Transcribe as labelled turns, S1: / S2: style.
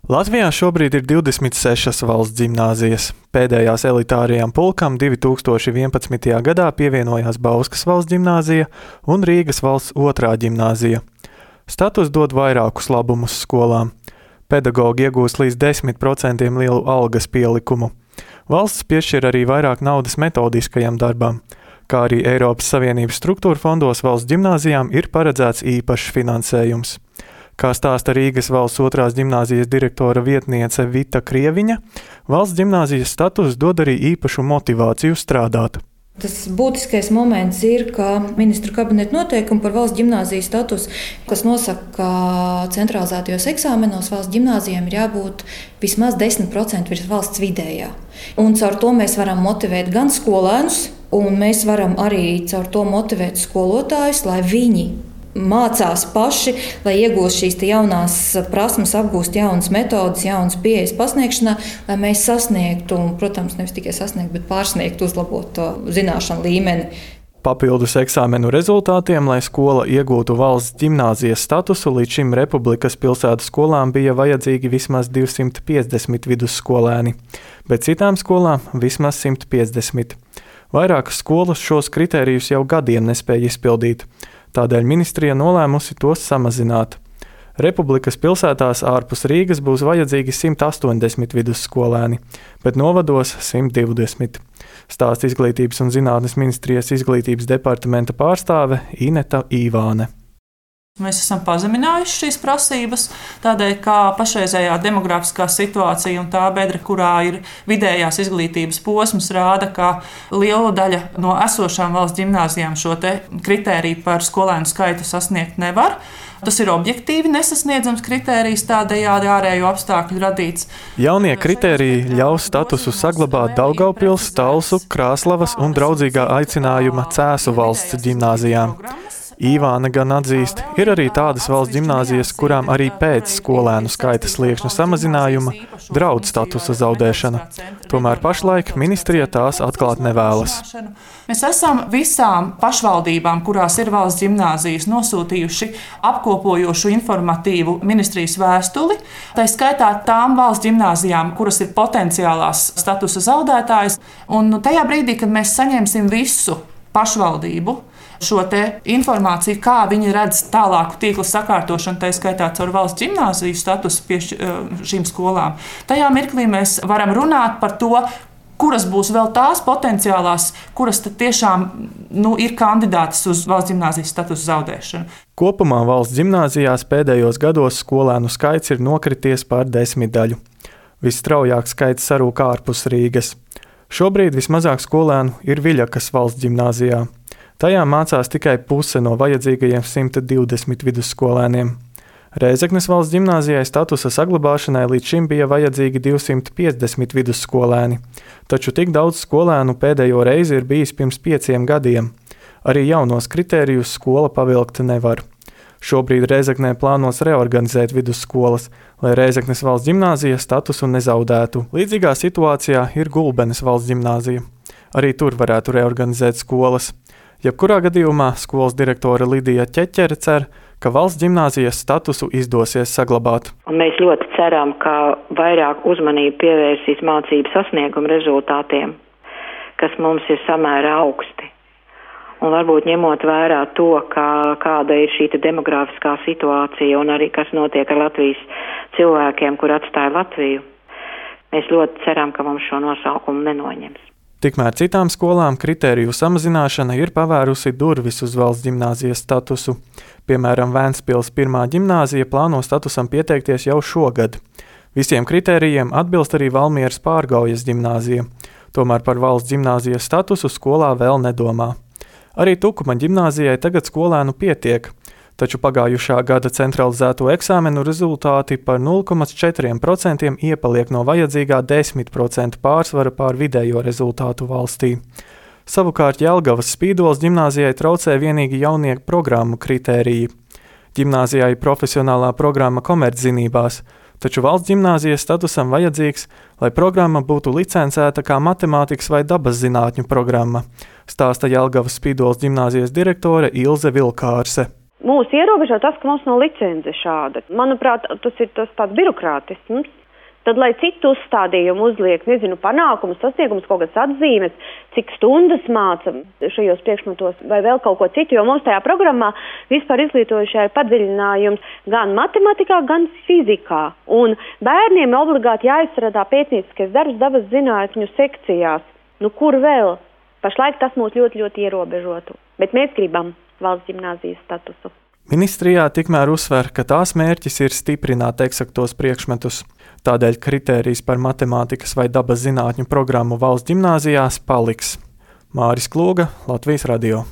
S1: Latvijā šobrīd ir 26 valsts ģimnāzijas. Pēdējās elitārajām pulkām 2011. gadā pievienojās Bauskas valsts ģimnāzija un Rīgas valsts otrā ģimnāzija. Status dod vairākus labumus skolām. Pedagogi iegūst līdz 10% lielu algas pielikumu. Valsts piešķir arī vairāk naudas metodiskajam darbam, kā arī Eiropas Savienības struktūra fondos valsts ģimnāzijām ir paredzēts īpašs finansējums. Kā stāsta Rīgas valsts otrās ģimnāzijas direktora vietniece Vita Krieviņa, valsts ģimnāzijas status dod arī īpašu motivāciju strādāt.
S2: Tas būtiskais moments ir, ka ministru kabineta noteikumi par valsts ģimnāzijas statusu, kas nosaka, ka centralizētajos eksāmenos valsts ģimnāzijām ir jābūt vismaz 10% virs valsts vidējā. Un caur to mēs varam motivēt gan skolēnus, un mēs varam arī caur to motivēt skolotājus, lai viņi mācās paši, lai iegūst šīs jaunās prasmes, apgūst jaunas metodes, jaunas pieejas pasniegšanā, lai mēs sasniegtu, un, protams, nevis tikai sasniegt, bet pārsniegt, uzlabot to zināšanu līmeni.
S1: Papildus eksāmenu rezultātiem, lai skola iegūtu valsts ģimnāzijas statusu, līdz šim Republikas pilsētu skolām bija vajadzīgi vismaz 250 vidusskolēni, bet citām skolām vismaz 150. Vairākas skolas šos kritērijus jau gadiem nespēja izpildīt. Tādēļ ministrija nolēmusi tos samazināt. Republikas pilsētās ārpus Rīgas būs vajadzīgi 180 vidusskolēni, bet novados 120. Stāsta Izglītības un zinātnes ministrijas izglītības departamenta pārstāve Ineta Īvāne.
S3: Mēs esam pazeminājuši šīs prasības, tādēļ, ka pašreizējā demografiskā situācija un tā bedre, kurā ir vidējās izglītības posms, rāda, ka liela daļa no esošām valsts ģimnāzijām šo kritēriju par skolēnu skaitu sasniegt nevar. Tas ir objektīvi nesasniedzams kritērijs, tādējādi ārējo apstākļu radīts.
S1: Jaunie kritēriji ļaus statusu saglabāt Daugavpils, Talsu, Krāslavas un draudzīgā aicinājuma Cēsu valsts ģimnāzijām. Īvāne gan atzīst, ir arī tādas valsts ģimnāzijas, kurām arī pēc skolēnu skaita sliekšņa samazinājuma draud statusa zaudēšana. Tomēr pašlaik ministrija tās atklāt nevēlas.
S3: Mēs esam visām pašvaldībām, kurās ir valsts ģimnāzijas, nosūtījuši apkopojošu informatīvu ministrijas vēstuli. Tā skaitā tām valsts ģimnāzijām, kuras ir potenciālās statusa zaudētājas. Un tajā brīdī, kad mēs saņemsim visu pašvaldību, šo informāciju, kā viņi redz tālāku tīkla sakārtošanu, tā skaitā caur valsts ģimnāziju statusu šīm skolām. Tajā mirklī mēs varam runāt par to, kuras būs vēl tās potenciālās, kuras tiešām ir kandidātas uz valsts ģimnāzijas statusu zaudēšanu.
S1: Kopumā valsts ģimnāzijās pēdējos gados skolēnu skaits ir nokrities par 10. Visstraujāk skaits sarūk ārpus Rīgas. Šobrīd vismazāk skolēnu ir Viļakas valsts ģimnāzijā. Tajā mācās tikai puse no vajadzīgajiem 120 vidusskolēniem. Rēzeknes valsts ģimnāzijai statusa saglabāšanai līdz šim bija vajadzīgi 250 vidusskolēni, taču tik daudz skolēnu pēdējo reizi ir bijis pirms 5 gadiem. Arī jaunos kritērijus skola pavilkt nevar. Šobrīd Rēzeknē plānos reorganizēt vidusskolas, lai Rēzeknes valsts ģimnāzija statusu nezaudētu. Līdzīgā situācijā ir Gulbenes valsts ģimnāzija. Arī tur varētu reorganizēt skolas. Jebkurā gadījumā skolas direktore Lidija Ķeķere cer, ka valsts ģimnāzijas statusu izdosies saglabāt.
S4: Un mēs ļoti ceram, ka vairāk uzmanību pievērsīs mācību sasniegumu rezultātiem, kas mums ir samērā augsti. Un varbūt ņemot vērā to, kāda ir šī demografiskā situācija un arī kas notiek ar Latvijas cilvēkiem, kur atstāja Latviju, mēs ļoti ceram, ka mums šo nosaukumu nenoņems.
S1: Tikmēr citām skolām kritēriju samazināšana ir pavērusi durvis uz valsts ģimnāzijas statusu. Piemēram, Vēnspils 1. ģimnāzija plāno statusam pieteikties jau šogad. Visiem kritērijiem atbilst arī Valmieras Pārgaujas ģimnāzija. Tomēr par valsts ģimnāzijas statusu skolā vēl nedomā. Arī Tukuma ģimnāzijai tagad skolēnu pietiek, taču pagājušā gada centralizēto eksāmenu rezultāti par 0,4% iepaliek no vajadzīgā 10% pārsvara pār vidējo rezultātu valstī. Savukārt Jelgavas Spīdoles ģimnāzijai traucē vienīgi jaunieku programmu kritēriji. Ģimnāzijai profesionālā programma komerczinībās, taču valsts ģimnāzijas statusam vajadzīgs, lai programma būtu licencēta kā matemātikas vai dabas zinātņu programma, stāsta Jelgavas Spīdoles ģimnāzijas direktore Ilze Vilkārse.
S5: Mūs ierobežo tas, ka mums nav licence šāda. Manuprāt, tas ir tas tāds birokrātisms. Tad, lai citu uzstādījumu uzliek, panākumus, sasniegumus, kaut kādas atzīmes, cik stundas māca šajos priekšmetos vai vēl kaut ko citu, jo mums tajā programmā vispār izglītojušajā ir padziļinājums gan matematikā, gan fizikā. Un bērniem obligāti jāizstrādā pētnieciskais darbs dabas zinātņu sekcijās. Kur vēl? Pašlaik tas mūs ļoti, ļoti ierobežotu. Bet mēs gribam valsts ģimnāzijas statusu.
S1: Ministrijā tikmēr uzsver, ka tās mērķis ir stiprināt eksaktos priekšmetus. Tādēļ kritērijs par matemātikas vai dabas zinātņu programmu valsts ģimnāzijās paliks. Māris Kloga, Latvijas radio.